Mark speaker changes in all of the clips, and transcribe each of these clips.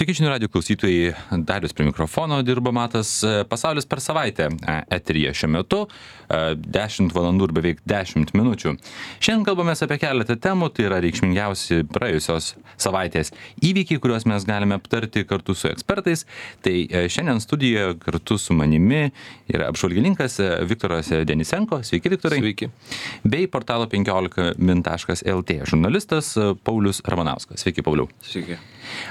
Speaker 1: Sveiki, žinių radijo klausytojai, Darius prie mikrofono dirba Matas. Pasaulis per savaitę eteryje šiuo metu, 10 valandų ir beveik 10 minučių. Šiandien kalbamės apie keletą temų, tai yra reikšmingiausi praėjusios savaitės įvykiai, kuriuos mes galime aptarti kartu su ekspertais. Tai šiandien studijoje kartu su manimi yra apžvalgininkas Viktoras Denisenko. Sveiki, Viktorai.
Speaker 2: Sveiki.
Speaker 1: Bei portalo 15min.lt žurnalistas Paulius Ramanauskas. Sveiki, Pauliau.
Speaker 2: Sveiki.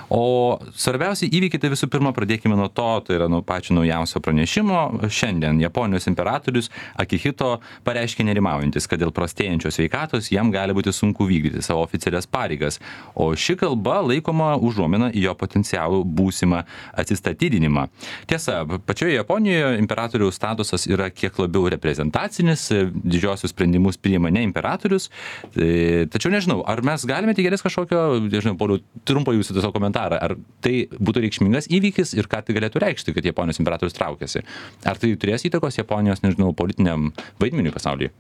Speaker 1: O svarbiausi įvykiai, tai visų pirma pradėkime nuo to, tai yra nuo pačio naujausio pranešimo. Šiandien Japonijos imperatorius Akihito pareiškė nerimaujantis, kad dėl prastėjančios sveikatos jam gali būti sunku vykdyti savo oficialias pareigas, o ši kalba laikoma užuomina į jo potencialų būsimą atsistatydinimą. Tiesa, pačioje Japonijoje imperatoriaus statusas yra kiek labiau reprezentacinis, didžiosius sprendimus priima ne imperatorius, tačiau nežinau, ar mes galime tikėtis kažkokio, nežinau, Pauliau, trumpo jūsų tiesiog komentarą, ar tai būtų reikšmingas įvykis ir ką tai galėtų reikšti, kad Japonijos imperatorius traukiasi? Ar tai turės įtakos Japonijos, nežinau, politiniam vaidmeniui pasaulyje?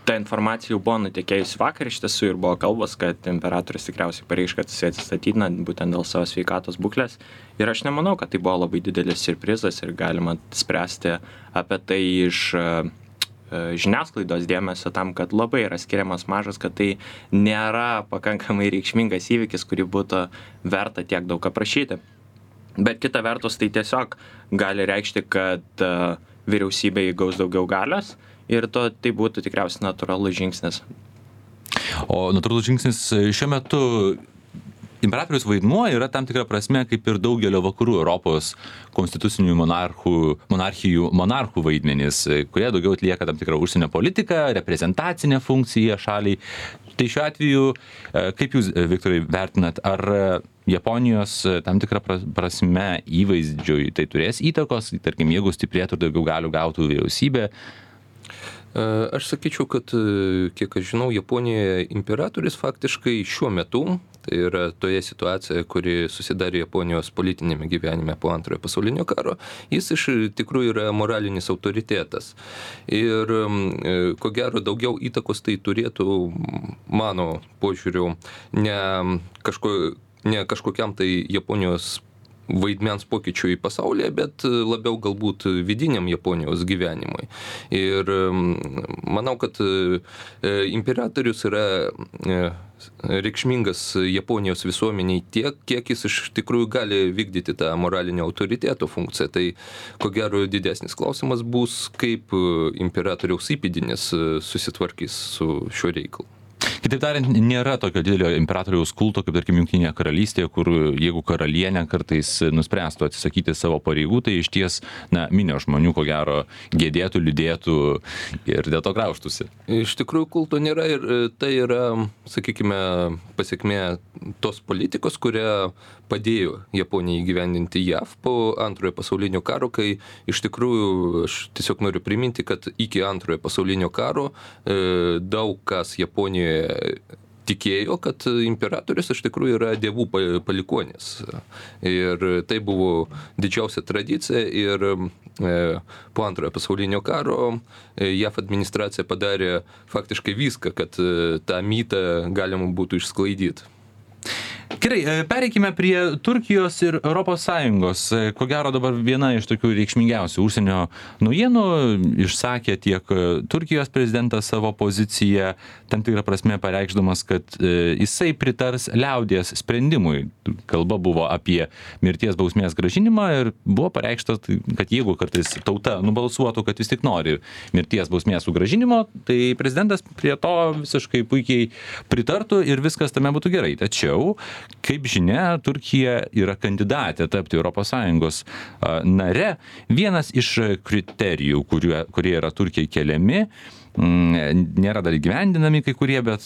Speaker 2: Ta informacija jau buvo nutekėjusi vakar, iš tiesų ir buvo kalbos, kad imperatorius tikriausiai pareiškė, kad jis atsistatydina būtent dėl savo sveikatos būklės. Ir aš nemanau, kad tai buvo labai didelis siurprizas ir galima spręsti apie tai iš žiniasklaidos dėmesio tam, kad labai yra skiriamas mažas, kad tai nėra pakankamai reikšmingas įvykis, kurį būtų verta tiek daug aprašyti. Bet kita vertus, tai tiesiog gali reikšti, kad vyriausybė įgaus daugiau galios ir tai būtų tikriausiai natūralus žingsnis.
Speaker 1: O natūralus žingsnis šiuo metu imperatorius vaidmuo yra tam tikra prasme kaip ir daugelio vakarų Europos konstitucinių monarchų vaidmenys, kurie daugiau atlieka tam tikrą užsienio politiką, reprezentacinę funkciją šaliai. Tai šiuo atveju, kaip jūs, Viktorai, vertinat, ar Japonijos tam tikrą prasme įvaizdžiui tai turės įtakos, tarkim, jeigu stiprėtų daugiau galių gautų vyriausybė?
Speaker 3: Aš sakyčiau, kad, kiek aš žinau, Japonijoje imperatorius faktiškai šiuo metu, tai yra toje situacijoje, kuri susidarė Japonijos politinėme gyvenime po antrojo pasaulinio karo, jis iš tikrųjų yra moralinis autoritetas. Ir ko gero daugiau įtakos tai turėtų, mano požiūriu, ne kažkokiam tai Japonijos vaidmens pokyčiui pasaulyje, bet labiau galbūt vidiniam Japonijos gyvenimui. Ir manau, kad imperatorius yra reikšmingas Japonijos visuomeniai tiek, kiek jis iš tikrųjų gali vykdyti tą moralinio autoriteto funkciją. Tai ko gero didesnis klausimas bus, kaip imperatoriaus įpėdinis susitvarkys su šiuo reikalu.
Speaker 1: Kitaip tariant, nėra tokio didelio imperatoriaus kulto, kaip tarkim Jungtinėje karalystėje, kur jeigu karalienė kartais nuspręstų atsisakyti savo pareigų, tai iš ties, minio žmonių, ko gero, gėdėtų, liūdėtų ir dėl to grauštųsi.
Speaker 3: Iš tikrųjų kulto nėra ir tai yra, sakykime, pasiekmė tos politikos, kurią padėjo Japonijai įgyvendinti JAV po antrojo pasaulinio karo, kai iš tikrųjų aš tiesiog noriu priminti, kad iki antrojo pasaulinio karo daug kas Japonijoje tikėjo, kad imperatorius iš tikrųjų yra dievų palikuonis. Ir tai buvo didžiausia tradicija ir po antrojo pasaulinio karo JAV administracija padarė faktiškai viską, kad tą mytą galima būtų išsklaidyti.
Speaker 1: Gerai, pereikime prie Turkijos ir ES. Ko gero dabar viena iš tokių reikšmingiausių užsienio naujienų išsakė tiek Turkijos prezidentas savo poziciją, tam tikrą prasme pareikšdamas, kad jisai pritars liaudies sprendimui. Kalba buvo apie mirties bausmės grąžinimą ir buvo pareikšta, kad jeigu kartais tauta nubalsuotų, kad vis tik nori mirties bausmės sugrąžinimo, tai prezidentas prie to visiškai puikiai pritartų ir viskas tame būtų gerai. Tačiau, kaip žinia, Turkija yra kandidatė tapti ES nare. Vienas iš kriterijų, kurie yra Turkijai keliami, nėra dar įgyvendinami kai kurie, bet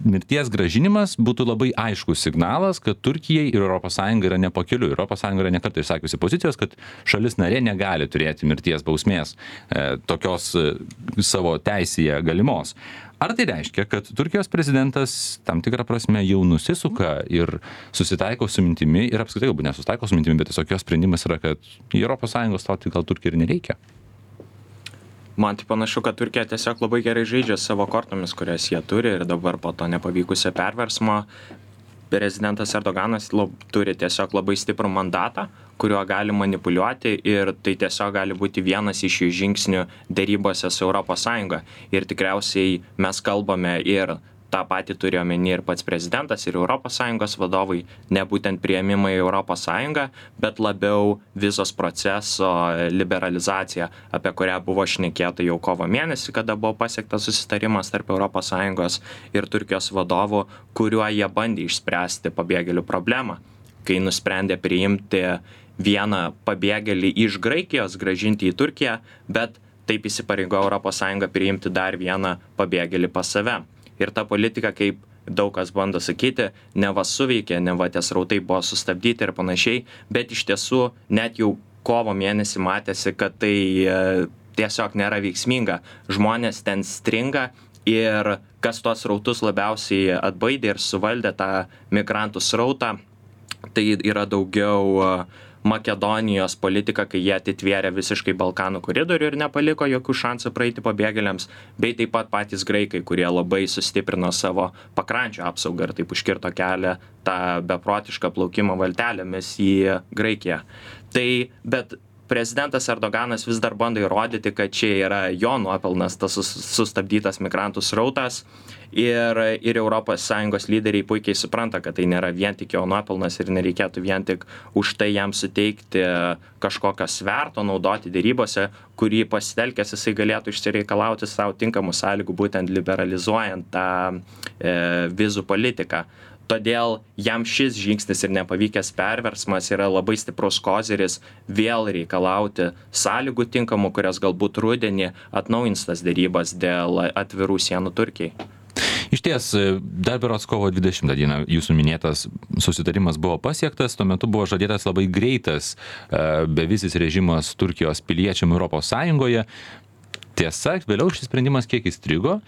Speaker 1: mirties grąžinimas būtų labai aiškus signalas, kad Turkijai ir ES yra nepakeliui. ES yra nekartą išsakiusi pozicijos, kad šalis narė negali turėti mirties bausmės tokios savo teisėje galimos. Ar tai reiškia, kad Turkijos prezidentas tam tikrą prasme jau nusisuka ir susitaiko su mintimi, ir apskritai galbūt nesusitaiko su mintimi, bet tiesiog jos sprendimas yra, kad į ES stoti gal Turkijai ir nereikia?
Speaker 2: Man tai panašu, kad Turkija tiesiog labai gerai žaidžia savo kortomis, kurias jie turi ir dabar po to nepavykusio perversmo prezidentas Erdoganas turi tiesiog labai stiprų mandatą, kuriuo gali manipuliuoti ir tai tiesiog gali būti vienas iš jų žingsnių dėrybose su ES. Ir tikriausiai mes kalbame ir tą patį turi omeny ir pats prezidentas, ir ES vadovai, ne būtent priėmimai į ES, bet labiau vizos proceso liberalizacija, apie kurią buvo šnekėta jau kovo mėnesį, kada buvo pasiektas susitarimas tarp ES ir Turkijos vadovų, kuriuo jie bandė išspręsti pabėgėlių problemą, kai nusprendė priimti vieną pabėgėlį iš Graikijos, grąžinti į Turkiją, bet taip įsipareigojo ES priimti dar vieną pabėgėlį pas save. Ir ta politika, kaip daug kas bando sakyti, neva suveikė, neva tie srautai buvo sustabdyti ir panašiai, bet iš tiesų net jau kovo mėnesį matėsi, kad tai tiesiog nėra veiksminga. Žmonės ten stringa ir kas tuos srautus labiausiai atbaidė ir suvaldė tą migrantų srautą, tai yra daugiau Makedonijos politika, kai jie atitvėrė visiškai Balkanų koridorių ir nepaliko jokių šansų praeiti pabėgėliams, bei taip pat patys graikai, kurie labai sustiprino savo pakrančių apsaugą ir taip užkirto kelią tą beprotišką plaukimo valtelėmis į Graikiją. Tai, bet prezidentas Erdoganas vis dar bando įrodyti, kad čia yra jo nuopelnas tas sustabdytas migrantų srautas ir ES lyderiai puikiai supranta, kad tai nėra vien tik jo nuopelnas ir nereikėtų vien tik už tai jam suteikti kažkokio sverto naudoti dėrybose, kurį pasitelkęs jisai galėtų išsireikalauti savo tinkamų sąlygų, būtent liberalizuojant tą vizų politiką. Todėl jam šis žingsnis ir nepavykęs perversmas yra labai stiprus koziris vėl reikalauti sąlygų tinkamų, kurias galbūt rudenį atnaujins tas dėrybas dėl atvirų sienų Turkijai.
Speaker 1: Iš ties, dar berods kovo 20 dieną jūsų minėtas susitarimas buvo pasiektas, tuo metu buvo žadėtas labai greitas bevizis režimas Turkijos piliečiam ES. Tiesa, vėliau šis sprendimas kiek įstrigo,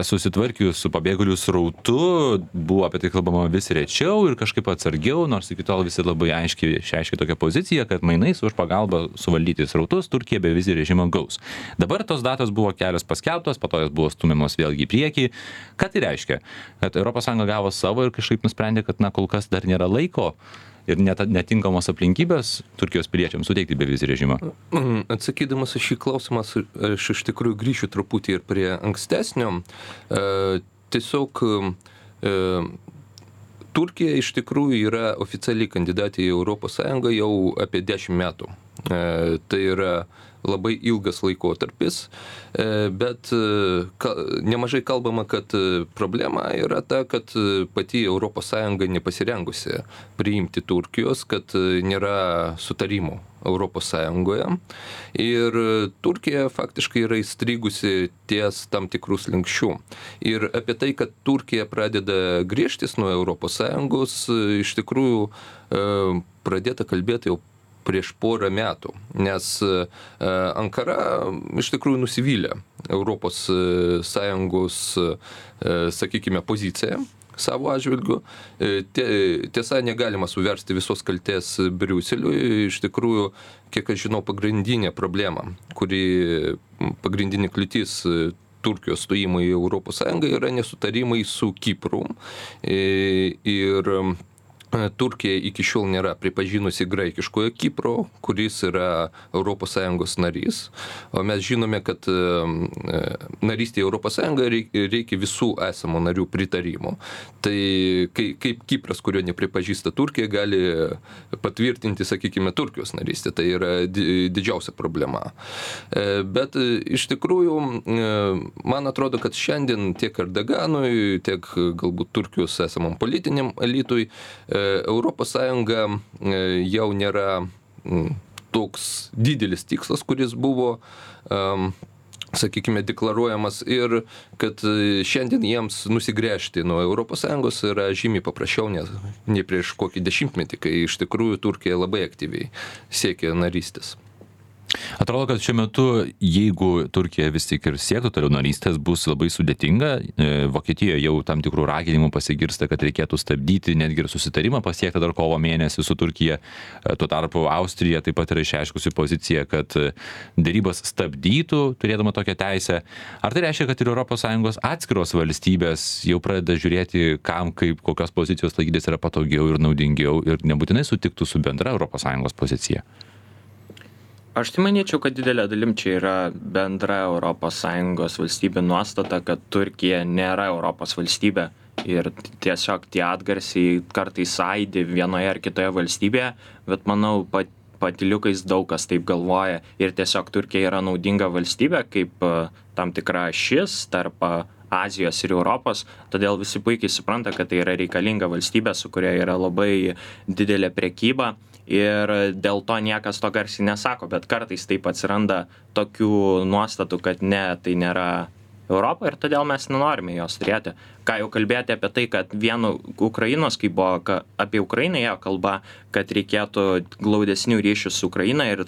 Speaker 1: susitvarkius su pabėgėlių srautu, buvo apie tai kalbama vis rečiau ir kažkaip atsargiau, nors iki tol visi labai aiškiai išreiškė tokią poziciją, kad mainais už pagalbą suvaldyti srautus Turkija bevizį režimą gaus. Dabar tos datos buvo kelios paskelbtos, po to jos buvo stumiamos vėlgi į priekį. Ką tai reiškia? Kad ES gavo savo ir kažkaip nusprendė, kad kol kas dar nėra laiko ir netinkamos aplinkybės Turkijos piliečiams suteikti bevizį režimą?
Speaker 3: Atsakydamas į šį klausimą, aš iš tikrųjų grįšiu truputį ir prie ankstesnio. Tiesiog Turkija iš tikrųjų yra oficialiai kandidatė į ES jau apie 10 metų. Tai yra labai ilgas laikotarpis, bet nemažai kalbama, kad problema yra ta, kad pati ES nepasirengusi priimti Turkijos, kad nėra sutarimų ES. Ir Turkija faktiškai yra įstrigusi ties tam tikrų slenksčių. Ir apie tai, kad Turkija pradeda griežtis nuo ES, iš tikrųjų pradėta kalbėti jau prieš porą metų, nes Ankara iš tikrųjų nusivylė ES, sakykime, poziciją savo atžvilgiu. Tiesa, negalima suversti visos kaltės Briuseliui. Iš tikrųjų, kiek aš žinau, pagrindinė problema, pagrindinė kliūtis Turkijos stojimo į ES yra nesutarimai su Kipru. Ir Turkija iki šiol nėra pripažinusi graikiškojo Kipro, kuris yra ES narys. O mes žinome, kad narystė ES reikia visų esamų narių pritarimų. Tai kaip Kipras, kurio nepripažįsta Turkija, gali patvirtinti, sakykime, Turkijos narystę. Tai yra didžiausia problema. Bet iš tikrųjų, man atrodo, kad šiandien tiek Erdoganui, tiek galbūt Turkijos esamam politiniam elitui ES jau nėra toks didelis tikslas, kuris buvo, sakykime, deklaruojamas ir kad šiandien jiems nusigręžti nuo ES yra žymiai paprasčiau nei prieš kokį 10 metį, kai iš tikrųjų Turkija labai aktyviai siekia narystės.
Speaker 1: Atrodo, kad šiuo metu, jeigu Turkija vis tik ir siektų toliau narystės, bus labai sudėtinga. Vokietijoje jau tam tikrų raginimų pasigirsta, kad reikėtų stabdyti netgi ir susitarimą pasiektą dar kovo mėnesį su Turkija. Tuo tarpu Austrija taip pat yra išreiškusi poziciją, kad dėrybas stabdytų, turėdama tokią teisę. Ar tai reiškia, kad ir ES atskiros valstybės jau pradeda žiūrėti, kam kaip kokios pozicijos laikytis yra patogiau ir naudingiau ir nebūtinai sutiktų su bendra ES pozicija?
Speaker 2: Aš tai manyčiau, kad didelė dalim čia yra bendra ES valstybė nuostata, kad Turkija nėra Europos valstybė ir tiesiog tie atgarsiai kartais aidi vienoje ar kitoje valstybėje, bet manau, patyliukais daug kas taip galvoja ir tiesiog Turkija yra naudinga valstybė kaip tam tikra ašis tarp Azijos ir Europos, todėl visi puikiai supranta, kad tai yra reikalinga valstybė, su kuria yra labai didelė prekyba. Ir dėl to niekas to garsiai nesako, bet kartais taip atsiranda tokių nuostatų, kad ne, tai nėra Europa ir todėl mes nenorime jos turėti. Ką jau kalbėti apie tai, kad vienu Ukrainos, kai buvo apie Ukrainą ėjo kalba, kad reikėtų glaudesnių ryšių su Ukraina ir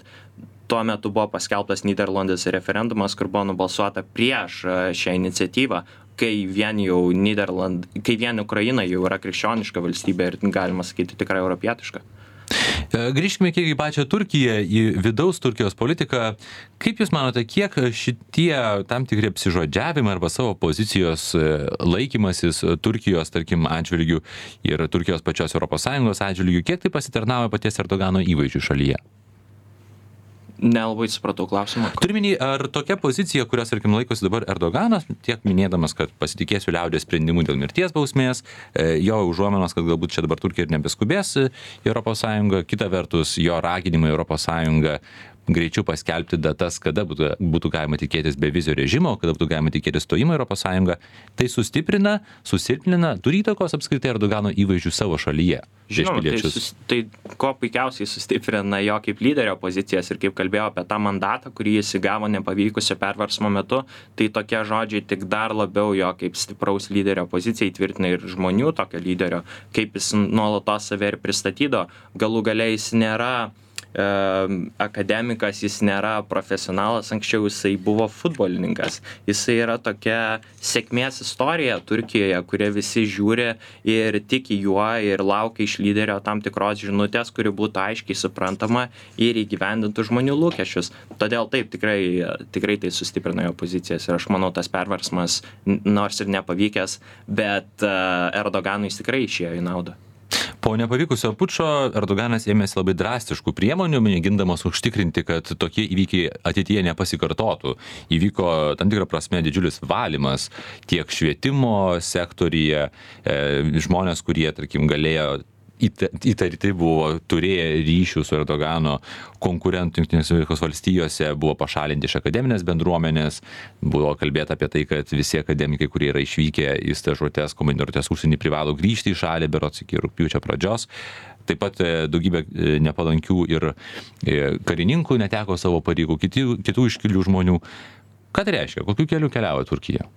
Speaker 2: tuo metu buvo paskelbtas Nyderlanduose referendumas, kur buvo nubalsuota prieš šią iniciatyvą, kai vien Ukraina jau yra krikščioniška valstybė ir galima sakyti tikrai europietiška.
Speaker 1: Grįžkime kiek į pačią Turkiją, į vidaus Turkijos politiką. Kaip Jūs manote, kiek šitie tam tikri apsižodžiavimai arba savo pozicijos laikymasis Turkijos, tarkim, atžvilgių ir Turkijos pačios ES atžvilgių, kiek tai pasitarnauja paties Erdogano įvaizdžiui šalyje?
Speaker 2: Nelabai supratau klausimą.
Speaker 1: Turiminį, ar tokia pozicija, kurios, tarkim, laikosi dabar Erdoganas, tiek minėdamas, kad pasitikėsiu liaudės sprendimu dėl mirties bausmės, jo užuomenos, kad galbūt čia dabar Turkija ir nebeskubės į ES, kita vertus, jo raginimai ES greičiau paskelbti datas, kada būtų galima tikėtis bevizio režimo, kada būtų galima tikėtis stojimo į ES, tai sustiprina, susilpnina, turi įtakos apskritai Erdogano įvaizdžių savo šalyje.
Speaker 2: Žinoma, tai ko puikiausiai sustiprina jo kaip lyderio pozicijas ir kaip kalbėjo apie tą mandatą, kurį jis įgavo nepavykusio perversmo metu, tai tokie žodžiai tik dar labiau jo kaip stipraus lyderio poziciją įtvirtina ir žmonių tokio lyderio, kaip jis nuolatos save ir pristatydo. Galų gale jis nėra akademikas, jis nėra profesionalas, anksčiau jisai buvo futbolininkas. Jisai yra tokia sėkmės istorija Turkijoje, kurie visi žiūri ir tiki juo ir laukia iš lyderio tam tikros žinutės, kuri būtų aiškiai suprantama ir įgyvendintų žmonių lūkesčius. Todėl taip, tikrai tai sustiprina jo pozicijas ir aš manau, tas perversmas, nors ir nepavykęs, bet Erdoganui jis tikrai išėjo į naudą.
Speaker 1: Po nepavykusio pučo Erdoganas ėmėsi labai drastiškų priemonių, mėgindamas užtikrinti, kad tokie įvykiai ateityje nepasikartotų. Įvyko tam tikrą prasme didžiulis valymas tiek švietimo sektoriuje, žmonės, kurie, tarkim, galėjo įtarti buvo, turėję ryšių su Erdogano konkurentų Jungtinėse Amerikos valstijose, buvo pašalinti iš akademinės bendruomenės, buvo kalbėta apie tai, kad visi akademikai, kurie yra išvykę į stažuotes, komandiruotes užsienį, privalo grįžti į šalį berods iki rugpjūčio pradžios. Taip pat daugybė nepalankių ir karininkų neteko savo pareigų, kitų iškilių žmonių. Ką tai reiškia? Kokiu keliu keliauja Turkija?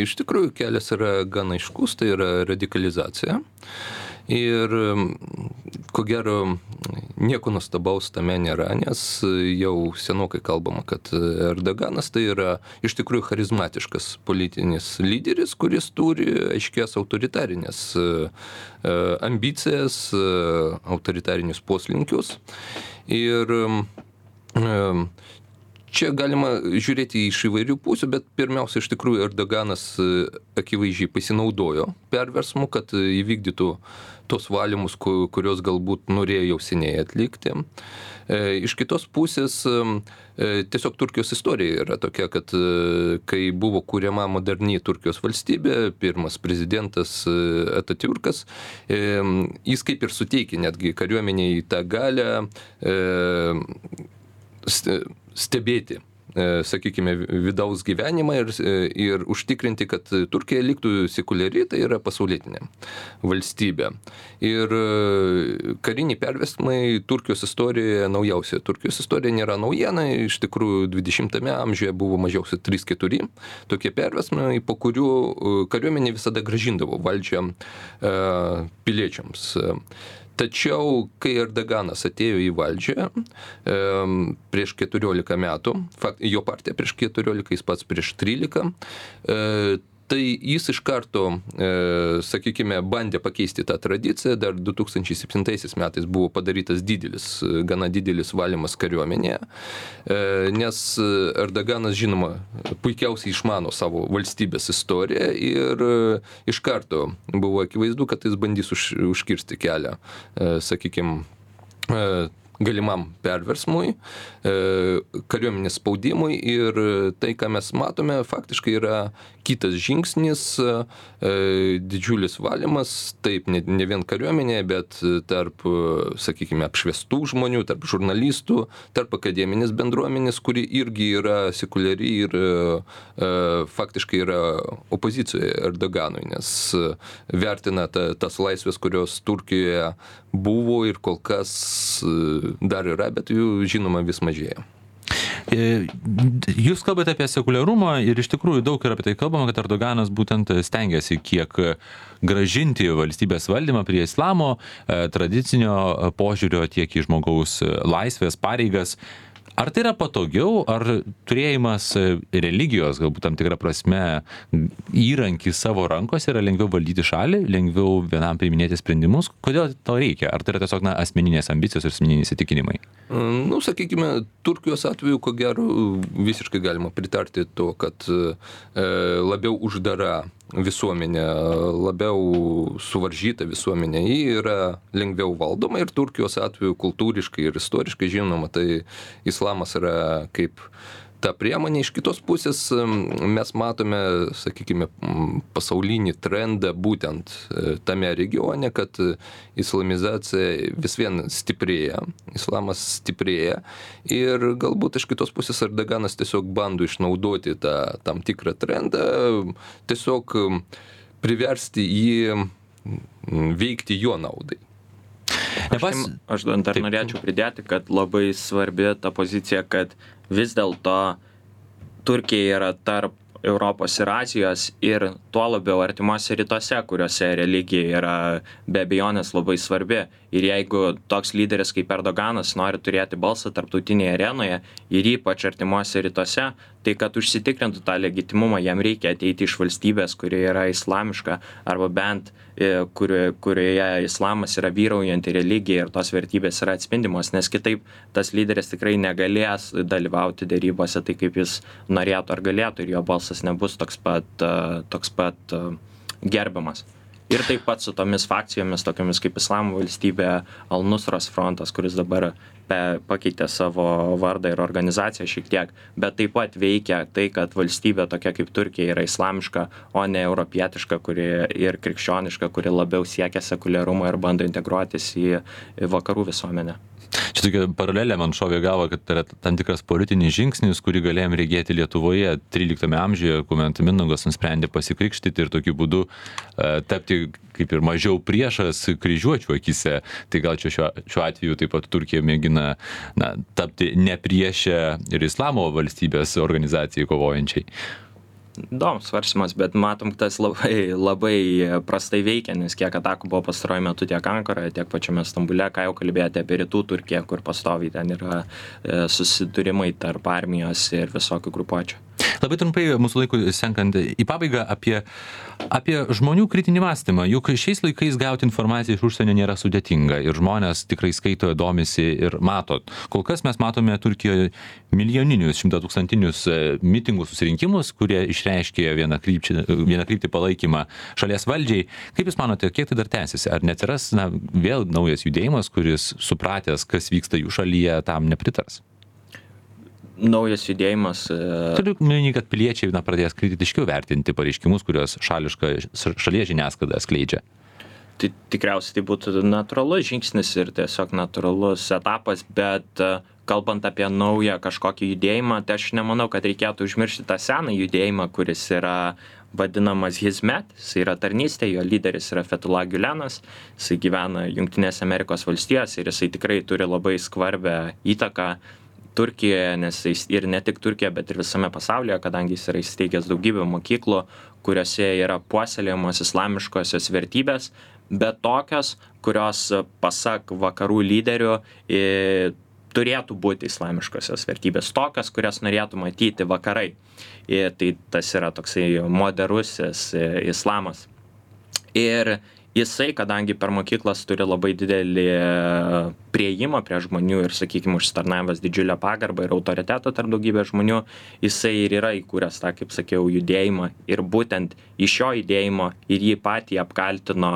Speaker 3: Iš tikrųjų, kelias yra gan aiškus, tai yra radikalizacija. Ir ko gero nieko nuostabaus tame nėra, nes jau senokai kalbama, kad Erdoganas tai yra iš tikrųjų charizmatiškas politinis lyderis, kuris turi aiškias autoritarinės ambicijas, autoritarinius poslinkius. Ir čia galima žiūrėti iš įvairių pusių, bet pirmiausia, iš tikrųjų, Erdoganas akivaizdžiai pasinaudojo perversmu, kad įvykdytų tos valymus, kurios galbūt norėjo jau seniai atlikti. Iš kitos pusės, tiesiog Turkijos istorija yra tokia, kad kai buvo kuriama moderni Turkijos valstybė, pirmas prezidentas Atatürkas, jis kaip ir suteikė netgi kariuomeniai tą galią stebėti, sakykime, vidaus gyvenimą ir užtikrinti, kad Turkija liktų sekuliari, tai yra pasaulietinė valstybė. Ir kariniai perversmai Turkijos istorijoje naujausia. Turkijos istorija nėra naujiena, iš tikrųjų 20-ame amžiuje buvo mažiausiai 3-4 tokie perversmai, po kurių kariuomenė visada grąžindavo valdžią piliečiams. Tačiau, kai Erdoganas atėjo į valdžią prieš 14 metų, jo partija prieš 14, jis pats prieš 13, tai jis iš karto, sakykime, bandė pakeisti tą tradiciją. Dar 2007 metais buvo padarytas gana didelis valymas kariuomenėje, nes Erdoganas, žinoma, puikiausiai išmano savo valstybės istoriją ir iš karto buvo akivaizdu, kad jis bandys užkirsti kelią, sakykime, galimam perversmui, kariuomenės spaudimui, ir tai, ką mes matome, faktiškai yra kitas žingsnis, didžiulis valymas, taip, ne vien kariuomenėje, bet tarp, sakykime, apšviestų žmonių, tarp žurnalistų, tarp akademinės bendruomenės, kuri irgi yra sekuliari ir faktiškai yra opozicijoje Erdoganui, nes vertina tas laisvės, kurios Turkijoje buvo ir kol kas dar yra, bet jų, žinoma, vis mažėja.
Speaker 1: Jūs kalbate apie sekuliarumą ir iš tikrųjų daug yra apie tai kalbama, kad Erdoganas būtent stengiasi kiek grąžinti valstybės valdymą prie islamo tradicinio požiūrio, tiek į žmogaus laisvės, pareigas. Ar tai yra patogiau, ar turėjimas religijos, galbūt tam tikrą prasme, įrankį savo rankose yra lengviau valdyti šalį, lengviau vienam priiminėti sprendimus? Kodėl to reikia? Ar tai yra tiesiog asmeninės ambicijos ir asmeniniai įsitikinimai?
Speaker 3: Sakykime, Turkijos atveju, ko gero, visiškai galima pritarti to, kad labiau uždara visuomenė, labiau suvaržyta visuomenė, ji yra lengviau valdoma, ir Turkijos atveju kultūriškai ir istoriškai, žinoma, tai islamas yra kaip ta priemonė. Iš kitos pusės mes matome, sakykime, pasaulinį trendą būtent tame regione, kad islamizacija vis vien stiprėja, islamas stiprėja, ir galbūt iš kitos pusės Erdoganas tiesiog bando išnaudoti tą tam tikrą trendą, tiesiog priversti jį veikti jo naudai.
Speaker 2: Aš dar norėčiau pridėti, kad labai svarbi ta pozicija, kad vis dėlto Turkija yra tarp Europos ir Azijos, ir tuo labiau artimuose rytuose, kuriuose religija yra be abejonės labai svarbi. Ir jeigu toks lyderis kaip Erdoganas nori turėti balsą tarptautinėje arenoje ir ypač artimuose rytuose, tai kad užsitikrintų tą legitimumą, jam reikia ateiti iš valstybės, kurioje yra islamiška, arba bent kurioje islamas yra vyraujanti religija ir tos vertybės yra atspindimos, nes kitaip tas lyderis tikrai negalės dalyvauti derybose tai, kaip jis norėtų ar galėtų, ir jo balsas nebus toks pat gerbiamas. Ir taip pat su tomis fakcijomis, tokiamis kaip Islamo valstybė, Al-Nusros frontas, kuris dabar pakeitė savo vardą ir organizaciją šiek tiek, bet taip pat veikia tai, kad valstybė tokia kaip Turkija yra islamiška, o ne europietiška ir krikščioniška, kuri labiau siekia sekuliarumo ir bando integruotis į vakarų visuomenę.
Speaker 1: Čia tokia paralelė man šovė galva, kad tai yra tam tikras politinis žingsnis, kurį galėjom regėti Lietuvoje 13 amžiuje, kuomet Mindaugas nusprendė pasikrikštyti ir tokiu būdu tapti kaip ir mažiau priešas kryžiuočių akise. Tai gal čia šiuo atveju taip pat Turkija mėgina tapti ne priešė ir islamo valstybės organizacijai kovojančiai.
Speaker 2: Įdomus svarstymas, bet matom, tas labai prastai veikia, nes kiek atakų buvo pastaruoju metu tiek Ankaroje, tiek pačiame Stambule, ką jau kalbėjote apie rytų Turkiją, kur pastoviai ten yra susidūrimai tarp armijos ir visokių grupuočių.
Speaker 1: Labai trumpai mūsų laikui senkant į pabaigą apie žmonių kritinį mąstymą. Juk šiais laikais gauti informaciją iš užsienio nėra sudėtinga ir žmonės tikrai skaito, domisi ir mato. Kol kas mes matome Turkijoje milijoninius, 100-tūkstantinius mitingų susirinkimus, kurie išreiškė vieną kryptį palaikymą šalies valdžiai. Kaip Jūs manote, kiek tai dar tęsiasi? Ar neatsiras vėl naujas judėjimas, kuris supratęs, kas vyksta jų šalyje, tam nepritars?
Speaker 2: Naujas judėjimas.
Speaker 1: Turiu minį, kad piliečiai pradės kritiškiau vertinti pareiškimus, kuriuos šalies žiniasklaida skleidžia.
Speaker 2: Tai tikriausiai tai būtų natūralus žingsnis ir tiesiog natūralus etapas, bet kalbant apie naują kažkokį judėjimą, tai aš nemanau, kad reikėtų užmiršti tą seną judėjimą, kuris yra vadinamas Hizmet, jis yra tarnystė, jo lyderis yra Fethullah Gülenas, jis gyvena Jungtinėse Amerikos valstijose ir jisai tikrai turi labai skvarbią įtaką Turkijoje, nes ir ne tik Turkijoje, bet ir visame pasaulyje, kadangi jis yra įsteigęs daugybę mokyklų, kuriuose yra puoselėjamos islamiškosios vertybės, bet tokios, kurios pasak vakarų lyderių turėtų būti islamiškosios vertybės, tokios, kurias norėtų matyti vakarai. Tai tas yra toksai moderusis islamas. Ir jisai, kadangi per mokyklas turi labai didelį prieimą prie žmonių ir, sakykime, užsitarnavęs didžiulę pagarbą ir autoritetą tarp daugybės žmonių, jisai ir yra įkūręs tą, kaip sakiau, judėjimą. Ir būtent iš šio judėjimo ir jį patį apkaltino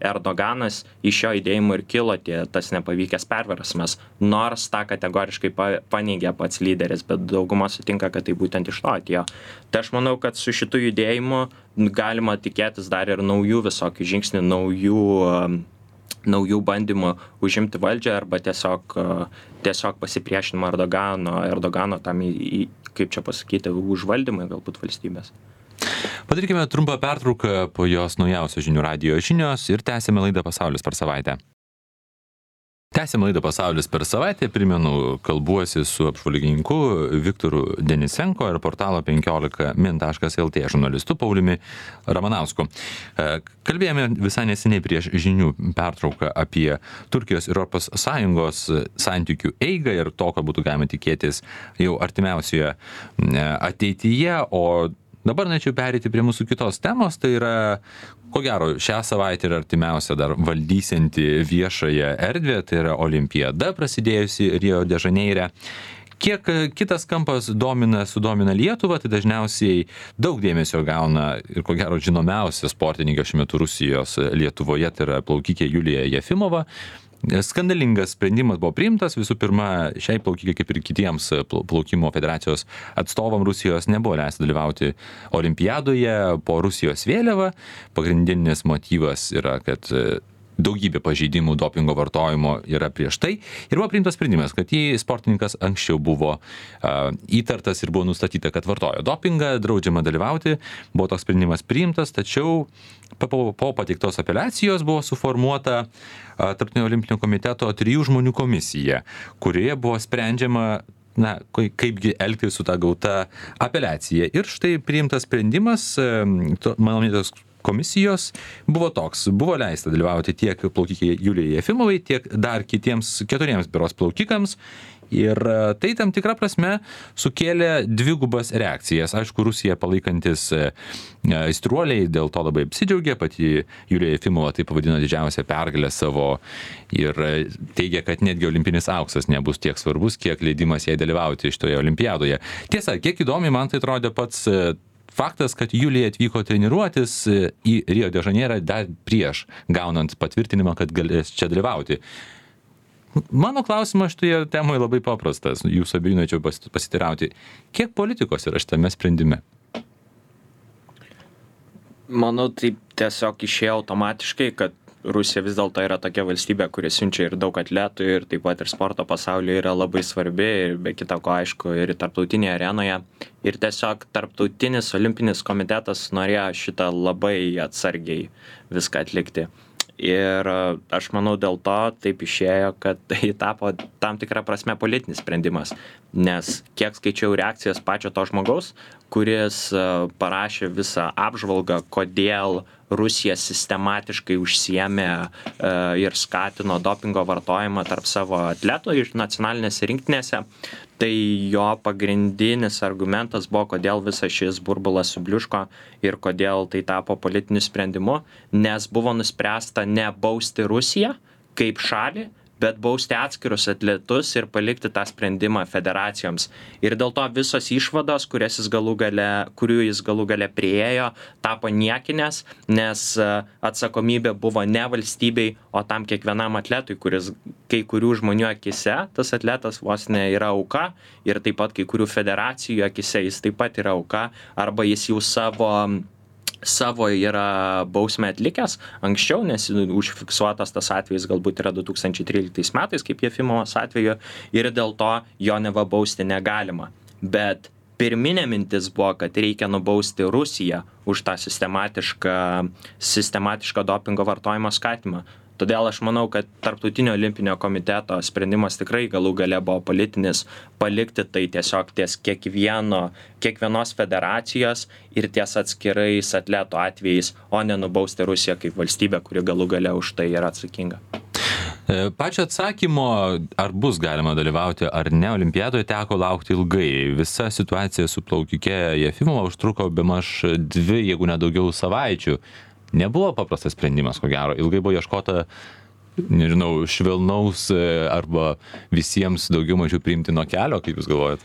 Speaker 2: Erdoganas, iš šio judėjimo ir kilo tas nepavykęs perversmas, nors tą kategoriškai paneigė pats lyderis, bet dauguma sutinka, kad tai būtent iš to atėjo. Tai aš manau, kad su šitu judėjimu galima tikėtis dar ir naujų visokių žingsnių, naujų bandymų užimti valdžią arba tiesiog pasipriešinimo Erdogano tam, kaip čia pasakyti, užvaldymui galbūt valstybės.
Speaker 1: Padarykime trumpą pertrauką, po jos naujausios žinių radijo žinios ir tęsime laidą Pasaulis per savaitę. Tęsime laidą Pasaulis per savaitę, primenu, kalbuosi su apžvalgininku Viktoru Denisenko ir portalo 15min.lt žurnalistu Pauliumi Ramanausku. Kalbėjome visai neseniai prieš žinių pertrauką apie Turkijos ir Europos Sąjungos santykių eigą ir to, ką būtų galima tikėtis jau artimiausioje ateityje, o dabar norėčiau pereiti prie mūsų kitos temos, tai yra, ko gero, šią savaitę ir artimiausia dar valdysianti viešąją erdvę, tai yra olimpiada prasidėjusi Rio de Žaneire. Kiek kitas kampas sudomina Lietuvą, tai dažniausiai daug dėmesio gauna ir, ko gero, žinomiausia sportininkė šiuo metu Rusijos Lietuvoje, tai yra plaukikė Julija Jefimova. Skandalingas sprendimas buvo priimtas, visų pirma, šiai plaukikai kaip ir kitiems plaukimo federacijos atstovam Rusijos nebuvo leista dalyvauti olimpiadoje po Rusijos vėliava. Pagrindinis motyvas yra, kad daugybė pažeidimų dopingo vartojimo yra prieš tai. Ir buvo priimtas sprendimas, kad jei sportininkas anksčiau buvo įtartas ir buvo nustatyta, kad vartojo dopingą, draudžiama dalyvauti, buvo toks sprendimas priimtas, tačiau po pateiktos apeliacijos buvo suformuota Tarptautinio olimpinio komiteto 3 žmonių komisija, kurioje buvo sprendžiama, kaipgi elgtis su ta gauta apeliacija. Ir štai priimtas sprendimas, mano minėtos komisijos buvo toks. Buvo leista dalyvauti tiek plaukikai Julijai Jefimovai, tiek dar kitiems 4 berods plaukikams. Ir tai tam tikrą prasme sukėlė dvigubas reakcijas. Aišku, Rusija palaikantis aistruoliai dėl to labai apsidžiaugė, pati Julija Jefimova tai pavadino didžiausią pergalę savo ir teigia, kad netgi olimpinis auksas nebus tiek svarbus, kiek leidimas jai dalyvauti šitoje olimpiadoje. Tiesa, kiek įdomiai man tai atrodė pats faktas, kad Julija atvyko treniruotis į Rio de Žaneirą dar prieš gaunant patvirtinimą, kad galės čia dalyvauti. Mano klausimas šitoje temoje labai paprastas, jūsų abiejų norėčiau pasitirauti. Kiek politikos yra šitame sprendime?
Speaker 2: Manau, tai tiesiog išėjo automatiškai, kad Rusija vis dėlto yra tokia valstybė, kuri siunčia ir daug atletų ir taip pat ir sporto pasaulyje yra labai svarbi ir be kita ko, aišku, ir tarptautinėje arenoje. Ir tiesiog tarptautinis olimpinis komitetas norėjo šitą labai atsargiai viską atlikti. Ir aš manau, dėl to taip išėjo, kad tai tapo tam tikrą prasme politinis sprendimas. Nes kiek skaičiau reakcijas pačio to žmogaus, kuris parašė visą apžvalgą, kodėl Rusija sistematiškai užsiėmė ir skatino dopingo vartojimą tarp savo atletų iš nacionalinėse rinktinėse, tai jo pagrindinis argumentas buvo, kodėl visas šis burbulas subliuško ir kodėl tai tapo politiniu sprendimu, nes buvo nuspręsta ne bausti Rusiją kaip šalį, bet bausti atskirus atletus ir palikti tą sprendimą federacijoms. Ir dėl to visos išvados, kurių jis galų gale priėjo, tapo niekinės, nes atsakomybė buvo ne valstybei, o tam kiekvienam atletui, kuris kai kurių žmonių akise, tas atletas vos ne yra auka, ir taip pat kai kurių federacijų akise jis taip pat yra auka, arba jis jau savo yra bausmę atlikęs anksčiau, nes užfiksuotas tas atvejis galbūt yra 2013 metais, kaip Jefimovos atveju, ir dėl to jo neva bausti negalima. Bet pirminė mintis buvo, kad reikia nubausti Rusiją už tą sistematišką dopingo vartojimo skatimą. Todėl aš manau, kad Tarptautinio olimpinio komiteto sprendimas tikrai galų gale buvo politinis, palikti tai tiesiog ties kiekvienos federacijos ir ties atskirais atletų atvejais, o ne nubausti Rusiją kaip valstybę, kuri galų gale už tai yra atsakinga.
Speaker 1: Pačio atsakymo, ar bus galima dalyvauti ar ne olimpiadoje, teko laukti ilgai. Visa situacija su plaukike Jefimova užtruko bemaž 2, jeigu ne daugiau savaičių. Nebuvo paprastas sprendimas, ko gero. Ilgai buvo ieškota, nežinau, švelnaus arba visiems daugiau mažiau priimtino kelio, kaip jūs galvojat?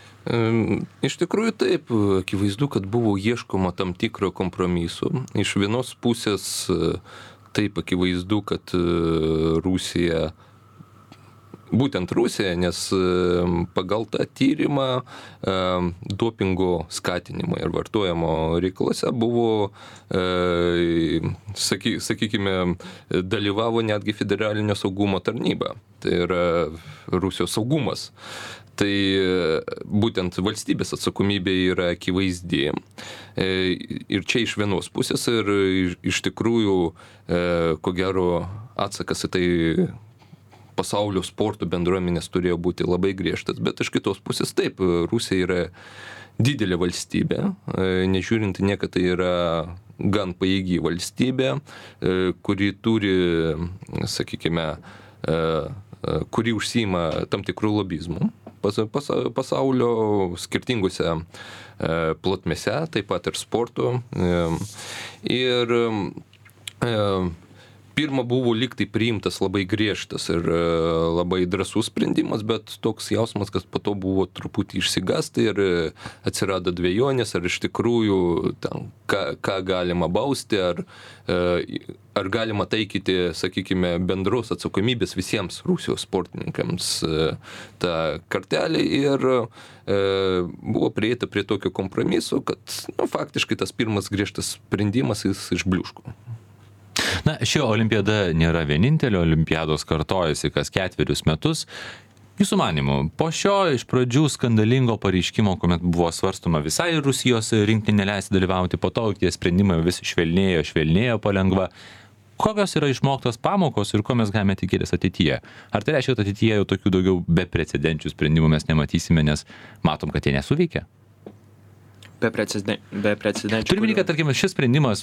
Speaker 3: Iš tikrųjų taip, akivaizdu, kad buvo ieškoma tam tikro kompromiso. Iš vienos pusės taip akivaizdu, kad Rusija, būtent Rusija, nes pagal tą tyrimą dopingo skatinimo ir vartojimo reikalose buvo, sakykime, dalyvavo netgi Federalinio saugumo tarnyba, tai yra Rusijos saugumas. Tai būtent valstybės atsakomybė yra akivaizdi. Ir čia iš vienos pusės ir iš tikrųjų, ko gero, atsakas į tai pasaulio sporto bendruomenės turėjo būti labai griežtas, bet iš kitos pusės taip, Rusija yra didelė valstybė, nežiūrint nieką, tai yra gan pajėgi valstybė, kuri turi, sakykime, kuri užsiima tam tikrų lobizmų pasaulio skirtingose plotmėse, taip pat ir sporto. Ir pirma buvo lyg tai priimtas labai griežtas ir labai drąsus sprendimas, bet toks jausmas, kad po to buvo truputį išsigąsti ir atsirado dvejonės, ar iš tikrųjų ten, ką galima bausti, ar galima taikyti, sakykime, bendros atsakomybės visiems Rusijos sportininkams tą kartelį ir buvo prieita prie tokio kompromiso, kad faktiškai tas pirmas griežtas sprendimas jis išbliuško.
Speaker 1: Na, ši olimpiada nėra vienintelė, olimpiados kartojasi kas 4 metus. Jūsų manymu, po šio iš pradžių skandalingo pareiškimo, kuomet buvo svarstoma visai Rusijos rinktinei neleisti dalyvauti, po to tie sprendimai vis švelnėjo palengva. Kokios yra išmoktos pamokos ir ko mes galime tikėtis ateityje? Ar tai reiškia, kad ateityje jau tokių daugiau beprecedenčių sprendimų mes nematysime, nes matom, kad jie nesuveikia?
Speaker 2: Beprecedenčių.
Speaker 1: Turime minėti, kad, tarkim, šis sprendimas,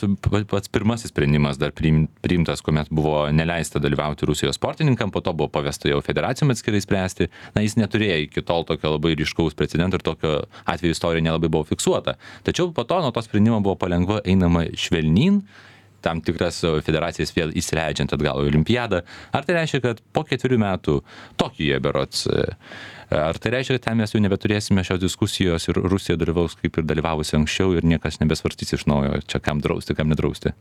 Speaker 1: pats pirmasis sprendimas dar priimtas, kuomet buvo neleista dalyvauti Rusijos sportininkam, po to buvo pavesta jau federacijom atskirai spręsti. Na, jis neturėjo iki tol tokio labai ryškaus precedento ir tokio atveju istorija nelabai buvo fiksuota. Tačiau po to nuo to sprendimo buvo palengva einama švelnyn, tam tikras federacijas vėl įsileidžiant atgal į olimpiadą. Ar tai reiškia, kad po 4 metų Tokijuje berods, ar tai reiškia, kad ten mes jau nebeturėsime šios diskusijos ir Rusija dalyvaus kaip ir dalyvavusi anksčiau ir niekas nebesvarstys iš naujo, čia kam drausti, kam nedrausti?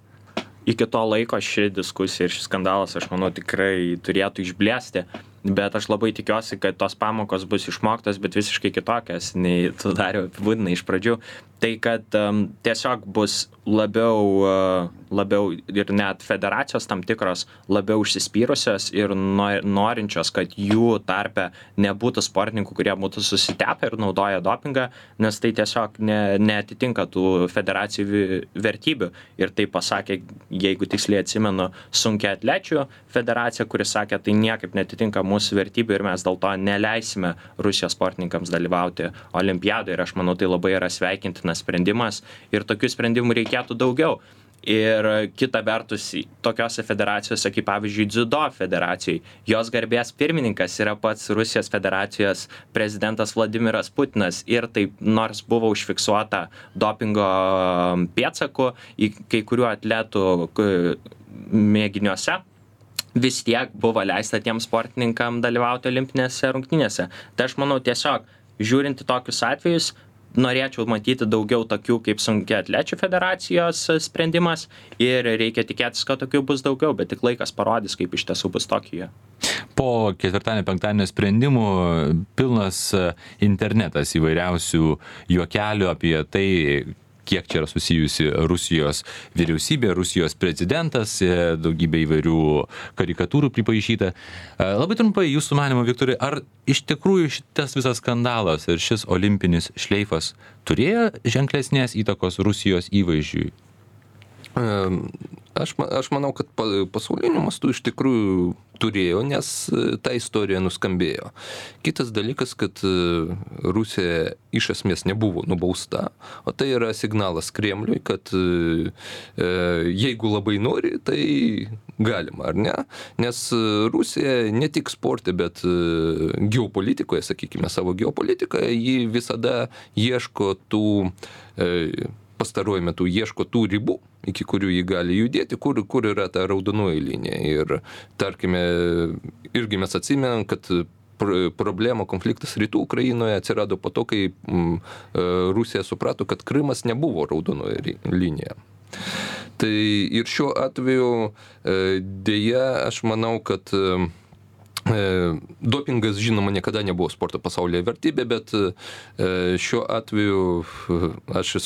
Speaker 2: Iki to laiko ši diskusija ir šis skandalas, aš manau, tikrai turėtų išblėsti, bet aš labai tikiuosi, kad tos pamokos bus išmoktos, bet visiškai kitokias, nei tu Dariau apibūdinai iš pradžių. Tai kad tiesiog bus labiau ir net federacijos tam tikros labiau užsispyrusios ir norinčios, kad jų tarpe nebūtų sportininkų, kurie būtų susitepę ir naudoja dopingą, nes tai tiesiog neatitinka tų federacijų vertybių. Ir tai pasakė, jeigu tiksliai atsimenu, sunkiaatlečių federacija, kuris sakė, tai niekaip neatitinka mūsų vertybių ir mes dėl to neleisime Rusijos sportininkams dalyvauti olimpiadoje. Ir aš manau, tai labai yra sveikintinas sprendimas ir tokių sprendimų reikėtų daugiau. Ir kita vertus, tokiose federacijose, kaip pavyzdžiui Dziudo federacijai, jos garbės pirmininkas yra pats Rusijos federacijos prezidentas Vladimiras Putinas ir taip, nors buvo užfiksuota dopingo pėdsakų į kai kurių atletų mėginiuose, vis tiek buvo leista tiems sportininkam dalyvauti olimpinėse rungtynėse. Tai aš manau, tiesiog žiūrint į tokius atvejus, norėčiau matyti daugiau tokių kaip sunkiaatlečių federacijos sprendimas ir reikia tikėtis, kad tokių bus daugiau, bet tik laikas parodys, kaip iš tiesų bus Tokijoje.
Speaker 1: Po ketvirtadienio, penktadienio sprendimų pilnas internetas įvairiausių juokelių apie tai, kiek čia yra susijusi Rusijos vyriausybė, Rusijos prezidentas, daugybė įvairių karikatūrų pripaišyta. Labai trumpai, jūsų manymu, Viktorai, ar iš tikrųjų šitas visas skandalas ir šis olimpinis šleifas turėjo ženklesnės įtakos Rusijos įvaizdžiui?
Speaker 3: Aš manau, kad pasauliniu mastu iš tikrųjų turėjo, nes ta istorija nuskambėjo. Kitas dalykas, kad Rusija iš esmės nebuvo nubausta, o tai yra signalas Kremliui, kad jeigu labai nori, tai galima, ar ne? Nes Rusija ne tik sporte, bet geopolitikoje, sakykime, savo geopolitikoje, ji visada ieško tų pastaruoju metu ieško tų ribų, iki kurių jį gali judėti, kur yra ta raudonoji linija. Ir, tarkime, irgi mes atsimenam, kad problema, konfliktas rytų Ukrainoje atsirado po to, kai Rusija suprato, kad Krymas nebuvo raudonoji linija. Tai ir šiuo atveju dėja, aš manau, kad dopingas, žinoma, niekada nebuvo sporto pasaulyje vertybė, bet šiuo atveju aš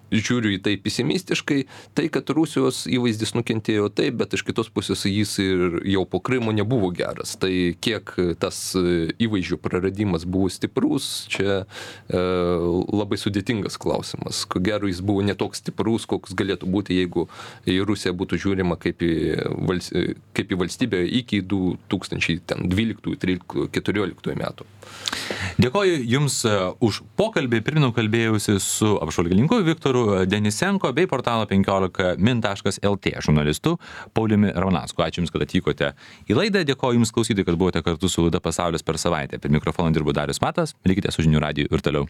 Speaker 3: žiūriu į tai pesimistiškai, tai, kad Rusijos įvaizdis nukentėjo taip, bet iš kitos pusės jis ir jau po Krymo nebuvo geras. Tai kiek tas įvaizdžio praradimas buvo stiprus, čia labai sudėtingas klausimas. Ko gero, jis buvo netoks stiprus, koks galėtų būti, jeigu į Rusiją būtų žiūrima kaip į valstybę iki 2012, 13, 14 metų.
Speaker 1: Dėkoju Jums už pokalbį. Pirminiau kalbėjausi su apžvalgininku Viktoru Denisenko bei portalo 15min.lt žurnalistu Pauliumi Ramanausku. Ačiū Jums, kad atvykote į laidą. Dėkoju Jums, klausytojai, kad buvote kartu su laida Pasaulis per savaitę. Prie mikrofono dirbo Darius Matas. Likite su Žinių radiju ir toliau.